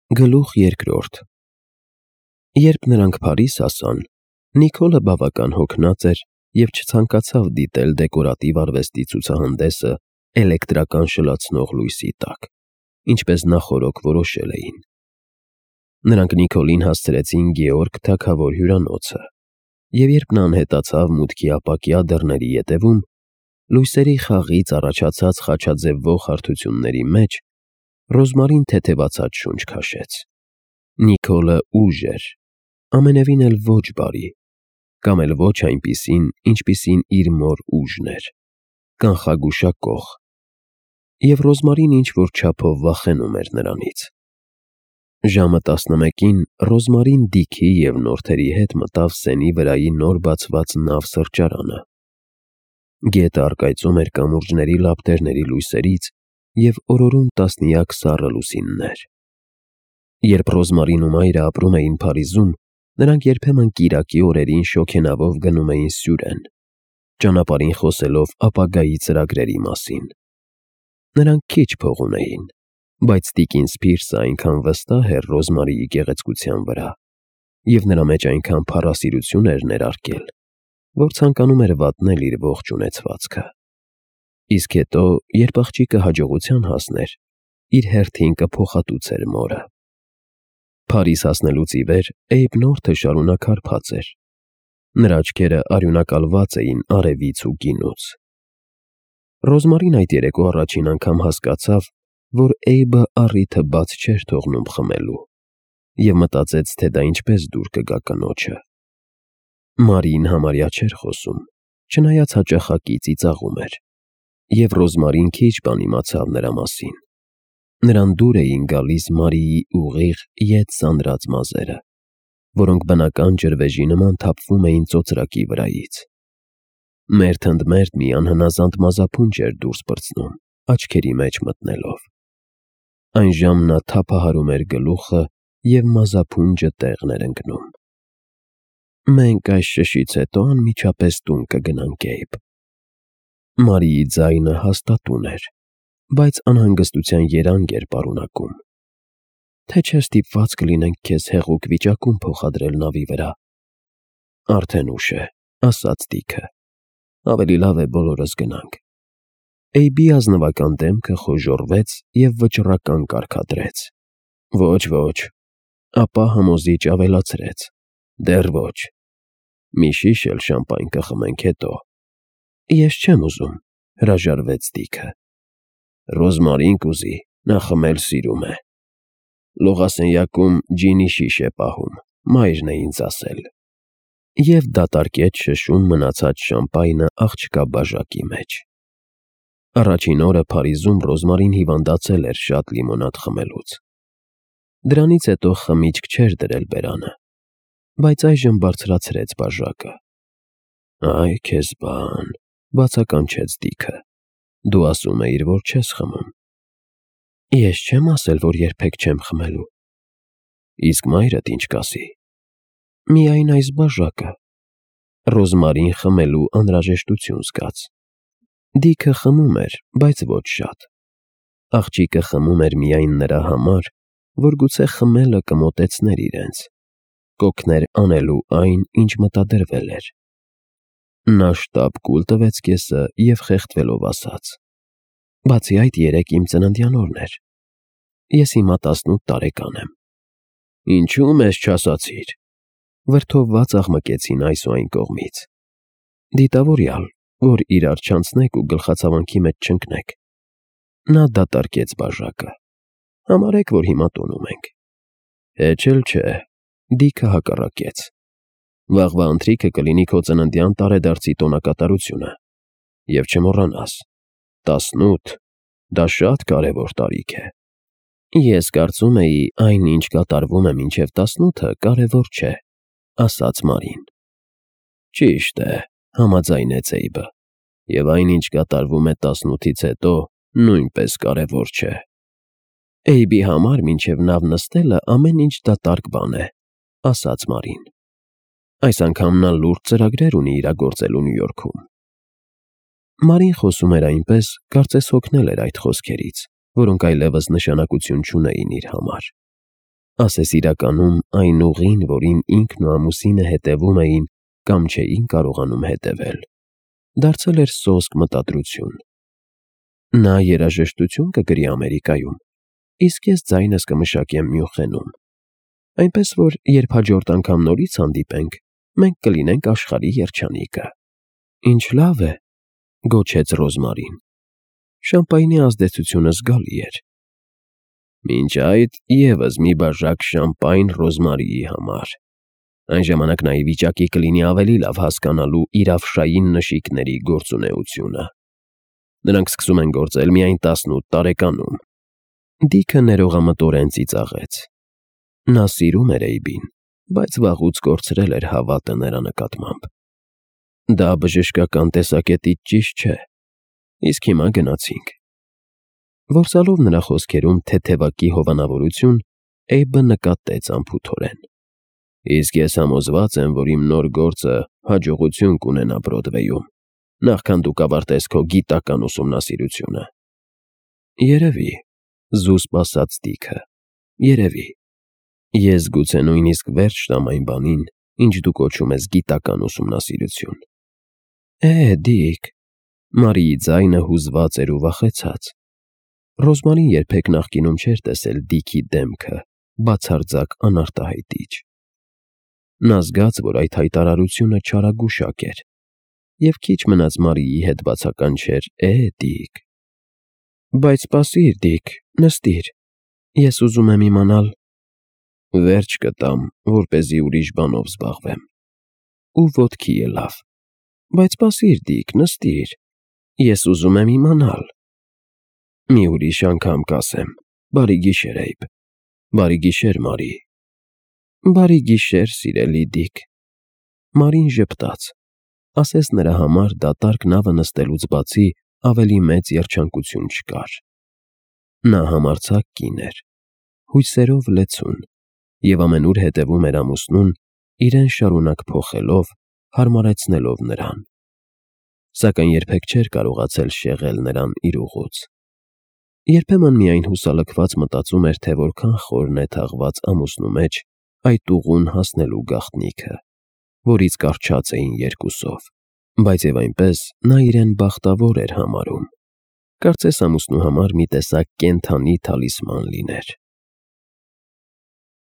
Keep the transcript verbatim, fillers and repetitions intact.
Գլուխ երկրորդ Երբ նրանք Փարիզ հասան, Նիկոլը բավական հոգնած էր և չցանկացավ դիտել դեկորատիվ արվեստի ցուցահանդեսը էլեկտրական շլացնող լույսի տակ, ինչպես նախօրոք որոշել էին։ Նրանք Նիկոլին հասցրեցին Գեորգ թագավոր հյուրանոցը, և երբ նա անհետացավ մուտքի ապակյա դռների ետևում, լույսերի խաղից առաջացած խաչաձևվող հարթությունների մեջ Ռոզմարին թեթևացած շունչ քաշեց։ Նիկոլը ուժ էր, ամենևին էլ ոչ բարի, կամ էլ ոչ այնպիսին, ինչպիսին իր մոր ուժն էր, կանխագուշակող, և Ռոզմարին ինչ-որ չափով վախենում էր նրանից։ Ժամը տասնմեկին Ռոզմարին Դիքի և նորթերի հետ մտավ Սենի վրայի նոր բացված նավ֊սրճարանը։ Գետը առկայծում էր կամուրջների լապտերների լույսերից և օրորում տասնյակ սառը լուսիններ։ Երբ Ռոզմարին ու մայրը ապրում էին Փարիզում, նրանք երբեմն կիրակի օրերին շոգենավով գնում էին Սյուրեն, ճանապարհին խոսելով ապագայի ծրագրերի մասին։ Նրանք քիչ փող ունեին, բայց տիկին Սփիրսը այնքան վստահ էր Ռոզմարիի գեղեցկության վրա, և նրա մեջ այնքան փառասիրություն էր ներարկել, որ ցանկանում էր վատնել իր ողջ ունեցվածքը։ Իսկ հետո, երբ աղջիկը հաջողության հասներ, իր հերթին կփոխհատուցեր մորը։ Փարիզ հասնելուց ի վեր Էյբ Նորթը շարունակ հարբած էր։ Նրա աչքերը արյունակալված էին արևից ու գինուց։ Ռոզմարին այդ երեկո առաջին անգամ հասկացավ, որ Էյբը առիթը բաց չէր թողնում խմելու, և մտածեց, թե դա ինչպես դուր կգա կնոջը։ Մարիին համարյա չէր խոսում, չնայած հաճախակի ծիծաղում էր, և Ռոզմարին քիչ բան իմացավ նրա մասին։ Նրան դուր էին գալիս Մարիի ուղիղ, ետ սանրած մազերը, որոնք բնական ջրվեժի նման թափվում էին ծոծրակի վրայից։ Մերթ ընդ մերթ մի անհնազանդ մազափունջ էր դուրս պրծնում, աչքերի մեջ մտնելով։ Այն ժամ նա թափահարում էր գլուխը, և մազափունջը տեղն էր ընկնում։ «Մենք այս շշից հետո անմիջապես տուն կգնանք, Էյբ»։ Մարիի ձայնը հաստատուն էր, բայց անհանգստության երանգ էր պարունակում։ «Թե չէ ստիպված կլինենք քեզ հեղուկ վիճակում փոխադրել նավի վրա»։ «Արդեն ուշ է», ասաց Դիքը։ «Ավելի լավ է բոլորս գնանք»։ Էյբի ազնվական դեմքը խոժոռվեց և վճռական կարգադրեց։ «Ոչ, ոչ»։ Ապա համոզիչ ավելացրեց. «Դեռ ոչ։ Մի շիշ էլ շամպայն կխմենք հետո»։ «Ես չեմ ուզում», հրաժարվեց Դիքը։ «Ռոզմարին կուզի, նա խմել սիրում է։ Լողասենյակում ջինի շիշ է պահում, մայրն է ինձ ասել»։ Եվ դատարկեց շշում մնացած շամպայնը աղջկա բաժակի մեջ։ Առաջին օրը Փարիզում Ռոզմարին հիվանդացել էր շատ լիմոնադ խմելուց։ Դրանից հետո խմիչք չէր դրել բերանը, բայց այժմ բարձրացրեց բաժակը։ «Այ քեզ բան», բացականչեց Դիքը։ «Դու ասում էիր, որ չես խմում»։ «Ես չեմ ասել, որ երբեք չեմ խմելու»։ «Իսկ մայրդ ինչ կասի»։ «Միայն այս բաժակը»։ Ռոզմարին խմելու անհրաժեշտություն զգաց։ Դիքը խմում էր, բայց ոչ շատ։ Աղջիկը խմում էր միայն նրա համար, որ գուցե խմելը կմոտեցներ իրենց, կօգներ անելու այն, ինչ մտադրվել էր։ Նա շտապ կուլ տվեց կեսը և խեղդվելով ասաց. «Բացի այդ, երեկ իմ ծննդյան օրն էր։ Ես հիմա տասնութ տարեկան եմ»։ «Ինչու՞ մեզ չասացիր»։ Վրդովված աղմկեցին այս ու այն կողմից։ «Դիտավորյալ, որ իրար չանցնեք ու գլխացավանքի մեջ չընկնեք»։ Նա դատարկեց բաժակը։ «Համարեք, որ հիմա տոնում ենք»։ «Հեչ էլ չէ», Դիքը հակառակեց։ «Վաղվա ընթրիքը կլինի քո ծննդյան տարեդարձի տոնակատարությունը։ Եվ չմոռանաս, տասնութ, դա շատ կարևոր տարիք է»։ «Ես կարծում էի, այն, ինչ կատարվում է մինչև տասնութը, կարևոր չէ», ասաց Մարին։ «Ճիշտ է», համաձայնեց Էյբը, «և այն, ինչ կատարվում է տասնութից հետո, նույնպես կարևոր չէ»։ «Էյբի համար մինչև նավ նստելը ամեն ինչ դատարկ բան է», ասաց Մարին։ «Այս անգամ նա լուրջ ծրագրեր ունի իրագործելու Նյու Յորքում»։ Մարին խոսում էր այնպես, կարծես հոգնել էր այդ խոսքերից, որոնք այլևս նշանակություն չունեին իր համար։ ասես իրականում այն ուղին, որին ինքն ու ամուսինը հետևում էին կամ չէին կարողանում հետևել, դարձել էր սոսկ մտադրություն։ Նա երաժշտություն կգրի Ամերիկայում, իսկ ես ձայնս կմշակեմ Մյունխենում, այնպես որ երբ հաջորդ անգամ նորից հանդիպենք, մենք կլինենք աշխարհի երջանիկը։ Ինչ լավ է, գոչեց Ռոզմարին։ Շամպայնի ազդեցությունը զգալի էր։ Մինչ այդ եւս մի բաժակ շամպայն Ռոզմարիի համար։ Այն ժամանակ նա ի վիճակի կլինի ավելի լավ հասկանալու իրավշային նշիկների գործունեությունը։ Նրանք սկսում են գործել միայն տասնութ տարեկանում։ Դիքը ներողամտորեն ծիծաղեց։ Նա սիրում էր Էյբին, բայց վաղուց կորցրել էր հավատը նրա նկատմամբ։ Դա բժշկական տեսակետից ճիշտ չէ, իսկ հիմա գնացինք։ Որսալով նրա խոսքերում թեթևակի հովանավորություն, Էյբը նկատեց անփութորեն։ Իսկ ես համոզված եմ, որ իմ նոր գործը հաջողություն կունենա Բրոդվեյում, նախքան դու կավարտես քո գիտական ուսումնասիրությունը։ Երևի, զուսպ ասաց Դիքը, երևի։ Ես գուցե նույնիսկ վերջ տամ այն բանին, ինչ դու կոչում ես գիտական ուսումնասիրություն։ Է, Դիկ, Մարիի ձայնը հուզված էր ու վախեցած։ Ռոզմարին երբեք նախկինում չէր տեսել Դիքի դեմքը, բացարձակ անարտահայտիչ։ Նա զգաց, որ այդ հայտարարությունը չարագուշակ էր, և քիչ մնաց Մարիի հետ բացականչեր. Է, Դիկ։ Բայց սպասիր, Դիկ, նստիր, ես ուզում եմ իմանալ։ Վերջ կտամ, որպեսզի ուրիշ բանով զբաղվեմ։ Ու ոտքի ելավ։ Բայց սպասիր, Դիկ, նստիր, ես ուզում եմ իմանալ։ Մի ուրիշ անգամ կասեմ։ Բարի գիշեր, Էյբ։ Բարի գիշեր, Մարի։ Բարի գիշեր, սիրելի Դիկ։ Մարին ժպտաց, ասես նրա համար դատարկ նավը նստելուց բացի ավելի մեծ երջանկություն չկար։ Նա համարձակ կին էր, հույսերով լեցուն, և ամենուր հետևում էր ամուսնուն, իրեն շարունակ փոխելով, հարմարեցնելով նրան։ Սակայն երբեք չէր կարողացել շեղել նրան իր ուղուց։ Երբեմն միայն հուսալքված մտածում էր, թե որքան խորն է թաղված ամուսնու մեջ այդ ուղուն հասնելու գաղտնիքը, որից կառչած էին երկուսով, բայց և այնպես նա իրեն բախտավոր էր համարում։ Կարծես ամուսնու համար մի տեսակ կենդանի թալիսման լիներ։